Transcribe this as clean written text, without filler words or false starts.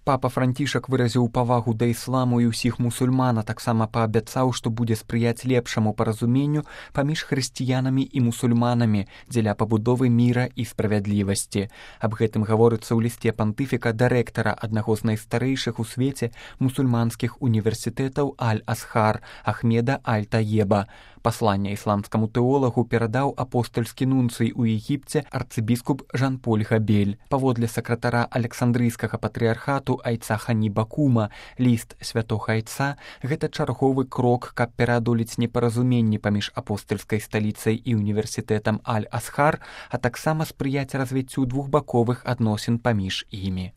Папа Францішак выразіў павагу да ісламу і ўсіх мусульман, а таксама паабяцаў, што будзе спрыяць лепшаму паразуменню паміж хрысціянамі і мусульманамі дзеля пабудовы міра і справядлівасці. Аб гэтым гаворыцца ў лісце пантыфіка да рэктара аднаго з найстарэйшых у свеце мусульманскіх універсітэтаў Аль-Асхар Ахмеда Аль-Таеба. Пасланне ісламскаму тэолагу перадаў апостальскі нунцый у Егіпце арцыбіскуп Жан-Поль Габель. Паводле сакратара Александрыйскага патрыархату Айца Хані Бакума, ліст святога Айца – гэта чарговы крок, каб пераадолець непаразуменні паміж апостальскай сталіцай і універсітэтам Аль-Асхар, а таксама спрыяць развіццю двухбаковых адносін паміж імі.